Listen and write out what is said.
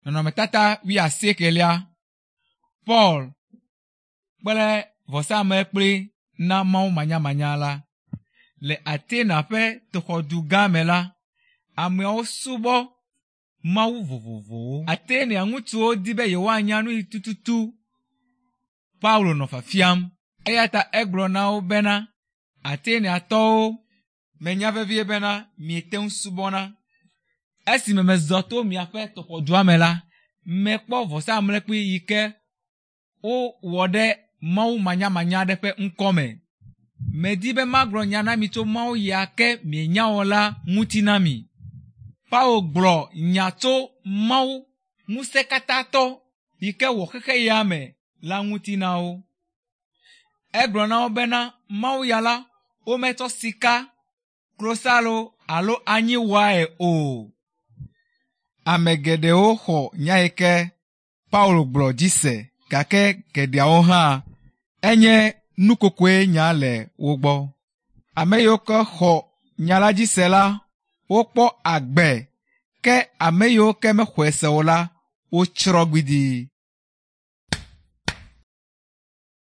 Nɔnɔmetata wuiasiekelia. Paul kple vɔsamlekpui na Mawu manyamanya la. Le Atena ƒe toxɔdu gã me la, ameawo subɔ mawu vovovowo. Atenea ŋutsuwo di be yewoanya nu yi tututu Paulo nɔ fiafiam eya ta egblɔ na wo bena, Ateneatɔwo, menya vevie bena miete ŋu subɔna. Esime mezɔ to miaƒe tɔxɔdua me la, mekpɔ vɔsamlekpui yi ke wowɔ ɖe mawu manyamanya aɖe ƒe ŋkɔ me. Medi be magblɔ nya na mi tso mawu ya ke mienya o la ŋuti na mi. Paulo gblɔ nya tso Mawu ŋusẽkatãtɔ yi ke wɔ xexe ya me la ŋuti na wo. Egblɔ na wo bena Mawu ya la, wometsɔ sika, klosalo alo anyi wɔe o. Ame geɖewo xɔ nya yi ke Paulo gblɔ dzi se gake geɖeawo hã enye nukokoe nya le wo gbɔ. Ame yiwo ke xɔ nya la dzi se la, wokpɔ agbe ke ame yiwo ke mexɔe se o la, wotsrɔ̃ gbidii.